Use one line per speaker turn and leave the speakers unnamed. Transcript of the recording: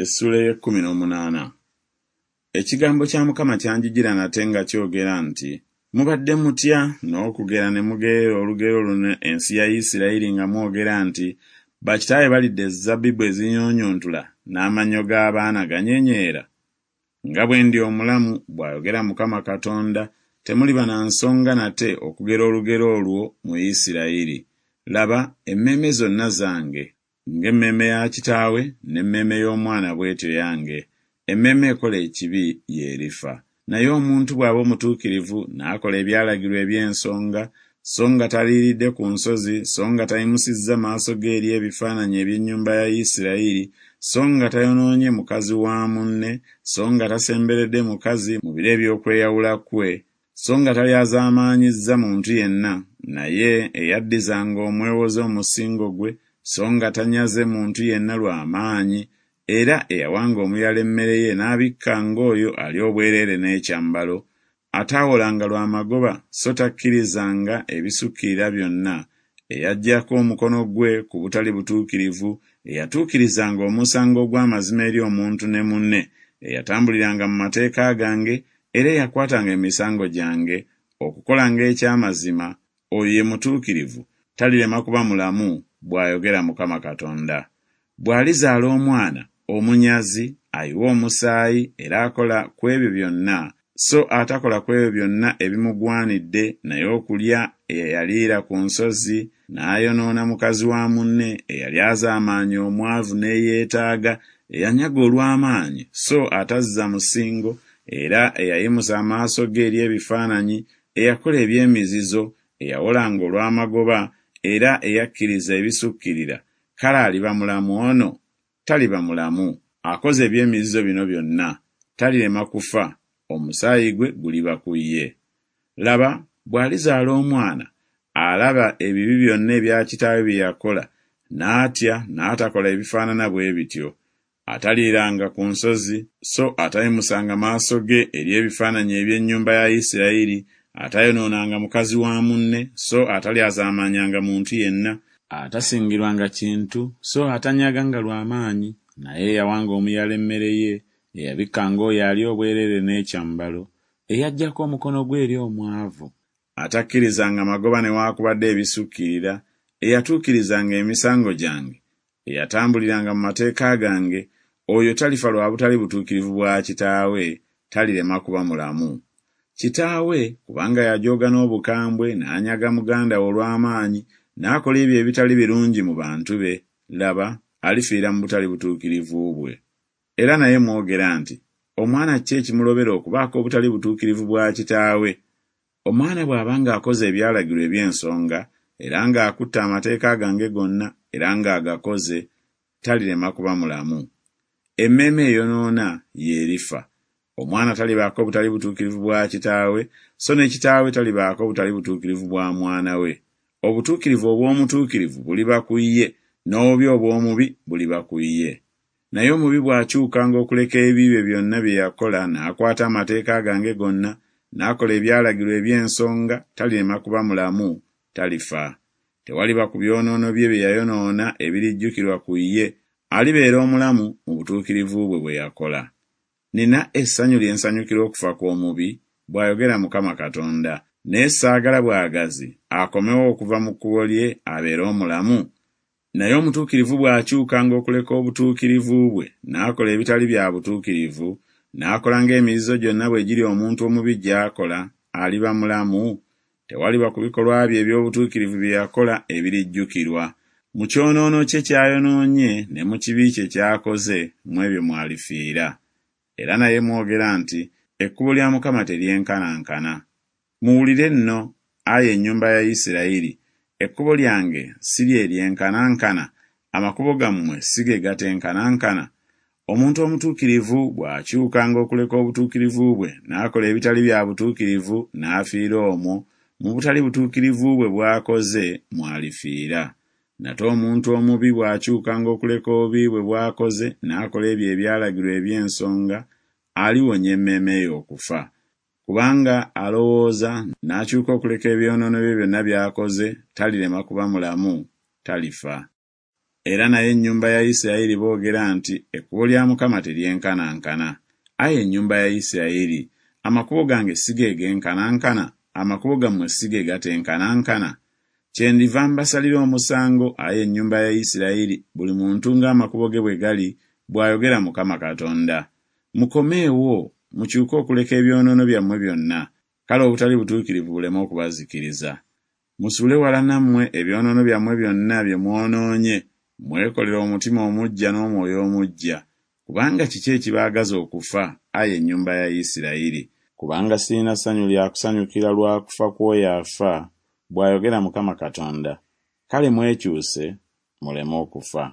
Essuula ey'ekkumi n'omunaana. Ekigambo kya Mukama kyanjijira nate nga kyogera nti, Mubadde mutya n'okugera ne mugerera olugero luno ensi ya Isirayiri nga mwogera nti, Bakitaawe balidde ezzabbibu ezinyunyuntula, n'amannyo g'abaana ganyenyeera? Nga bwe ndi omulamu, bw'ayogera Mukama Katonda, temuliba na nsonga nate okugera olugero olwo mu Isirayiri. Laba, emmeeme zonna zange. Ng'emmeeme ya kitaawe, n'emmeeme y'omwana bw'etyo yange, emmeeme ekola ekibi y'erifa. Naye omuntu bw'aba omutuukirivu n'akola ebyalagirwa eby'ensonga, so nga taliiridde ku nsozi, so nga tayimusizza maaso ge eri ebifaananyi eby'ennyumba ya Isirayiri, so nga tayonoonye mukazi wa munne, so nga tasemberedde mukazi mu biro eby'okweyawula kwe, so nga talyazaamaanyizza muntu yenna, naye eyaddizanga omwewoze omusingo gwe, so nga tanyaze muntu yenna lwa maanyi, era eyawanga omuyala emmere ye n'abikkanga oyo ali obwereere n'ekyambalo, ataawolanga lwa magoba so takkirizanga ebisukkirira byonna, eyaggyako omukono gwe ku butali butuukirivu, eyatuukirizanga omusango ogw'amazima eri omuntu ne munne, eyatambuliranga mu mateeka gange era eyakwatanga emisango gyange, okukolanga eky'amazima, oyo ye mutuukirivu, talirema kuba mulamu, bw'ayogera Mukama Katonda. Bw'alizaala omwana, omunyazi, ayiwa omusaayi, era akola ku ebyo byonna, so atakola ku ebyo byonna ebimugwanidde, naye okulya eyaliira ku nsozi, n'ayonoona mukazi wa munne, eyalyazaamaanya omwavu n'eyeetaaga, eyanyaga olw'amaanyi, so atazza musingo, era eyayimusa amaaso ge eri ebifaananyi, eyakola eby'emizizo, eyawolanga olw'amagoba, era eyakkiriza ebisukkirira, kale aliba mulamu ono? Taliba mulamu. Akoze eby'emizizo bino byonna, talirema kufa, omusaayi gwe guliba ku ye. Laba, bw'alizaala omwana, alaba ebibi byonna ebya kitaawe bye yakola, n'atya n'atakola ebifaanana bwe bityo. Ataliiranga ku nsozi, so atayimusanga maaso ge eri ebifaananyi eby'ennyumba ya Isirayiri, atayonoonanga mukazi wa munne, so atalyazaamaanyanga muntu yenna, atasingirwanga kintu, so atanyaganga lwa maanyi, naye eyawanga omuyala emmere ye, eyabikkanga oyo ali obwereere n'ekyambalo, eyaggyako omukono gwe eri omwavu, atakkirizanga magoba newaakubadde ebisukkirira, eyatuukirizanga emisango gyange, eyatambuliranga mu mateeka gange, oyo talifa lwa butali butuukirivu bwa kitaawe, talirema kuba mulamu. Kitaawe, kubanga yajooga n'obukambwe n'anyaga muganda we olw'amaanyi, n'akola ebyo ebitali birungi mu bantu be, laba, alifiira mu butali butuukirivu bwe. Era naye mwogera nti, Omwana ki ekimulobera okubaako obutali butuukirivu bwa kitaawe? Omwana bw'aba ng'akoze ebyalagirwa eby'ensonga, era ng'akutte amateeka gange gonna, era ng'agakoze, talirema kuba mulamu. Emmeeme eyonoona y'erifa. Omwana talibaako butali butuukirivu bwa kitaawe, so ne kitaawe talibaako butali butuukirivu bwa mwana we. Obutuukirivu obw'omutuukirivu buliba ku ye, n'obubi obw'omubi buliba ku ye. Naye omubi bw'akyukanga okuleka ebibi bye byonna bye yakola, n'akwata amateeka gange gonna, n'akola ebyalagirwa eby'ensonga, talirema kuba mulamu, talifa. Tewaliba ku byonoono bye bye yayonoona ebirijjukirwa ku ye, alibeera omulamu mu butuukirivu bwe bwe yakola. Nnina essanyu lye nsanyukira okufa kw'omubi? bw'ayogera Mukama Katonda, naye saagala bwagazi akomewo okuva mu kkubo lye abeere omulamu? Naye omutuukirivu bw'akyukanga okuleka obutuukirivu bwe n'akola ebitali bya butuukirivu, n'akola ng'emizizo gyonna bwe giri omuntu omubi gy'akola, aliba mulamu? Tewaliba ku bikolwa bye eby'obutuukirivu bye yakola ebirijjukirwa. Mu kyonoono kye ky'ayonoonye ne mu kibi kye ky'akoze, mu ebyo mw'alifiira. Era naye mwogera nti Ekkubo lya Mukama teryenkanankana. Muwulire nno, ayi ennyumba ya Isirayiri, ekkubo lyange si lye lyenkanankana? Amakubo gammwe si ge gatenkanankana? Omuntu omutuukirivu bw'akyukanga okuleka obutuukirivu bwe n'akola ebitali bya butuukirivu n'afiira omwo, mu butali butuukirivu bwe bw'akoze mw'alifiira. Nate omuntu omubi bw'akyukanga okuleka obubi bwe bw'akoze n'akola ebyo ebyalagirwa eby'ensonga, aliwonya emmeeme ye okufa. Kubanga alowooza, n'akyuka okuleka ebyonoono bye byonna by'akoze, talirema kuba mulamu, talifa. Era naye ennyumba ya Isirayiri boogera nti Ekkubo lya Mukama teryenkanankana. Ai ennyumba ya Isirayiri, amakubo gange si ge genkanankana? Amakubo gammwe si ge gatenkanankana? Kyendiva mbasalira omusango, ai ennyumba ya Isirayiri, buli muntu ng'amakubo ge bwe gali, bw'ayogera Mukama Katonda. Mukomeewo, mukyuke okuleka ebyonoono byammwe byonna, kale obutali butuukirivu buleme okubazikiriza. Musuule wala nammwe ebyonoono byammwe byonna bye mwonoonye, mwekolere omutima omuggya n'omwoyo omuggya. Kubanga kiki ekibaagaza okufa, ai ennyumba ya Isirayiri? Kubanga sirina ssanyu lya kusanyukira lwa kufa kw'oyo afa, bw'ayogera Mukama Katonda. Kale mwekyuse, muleme okufa.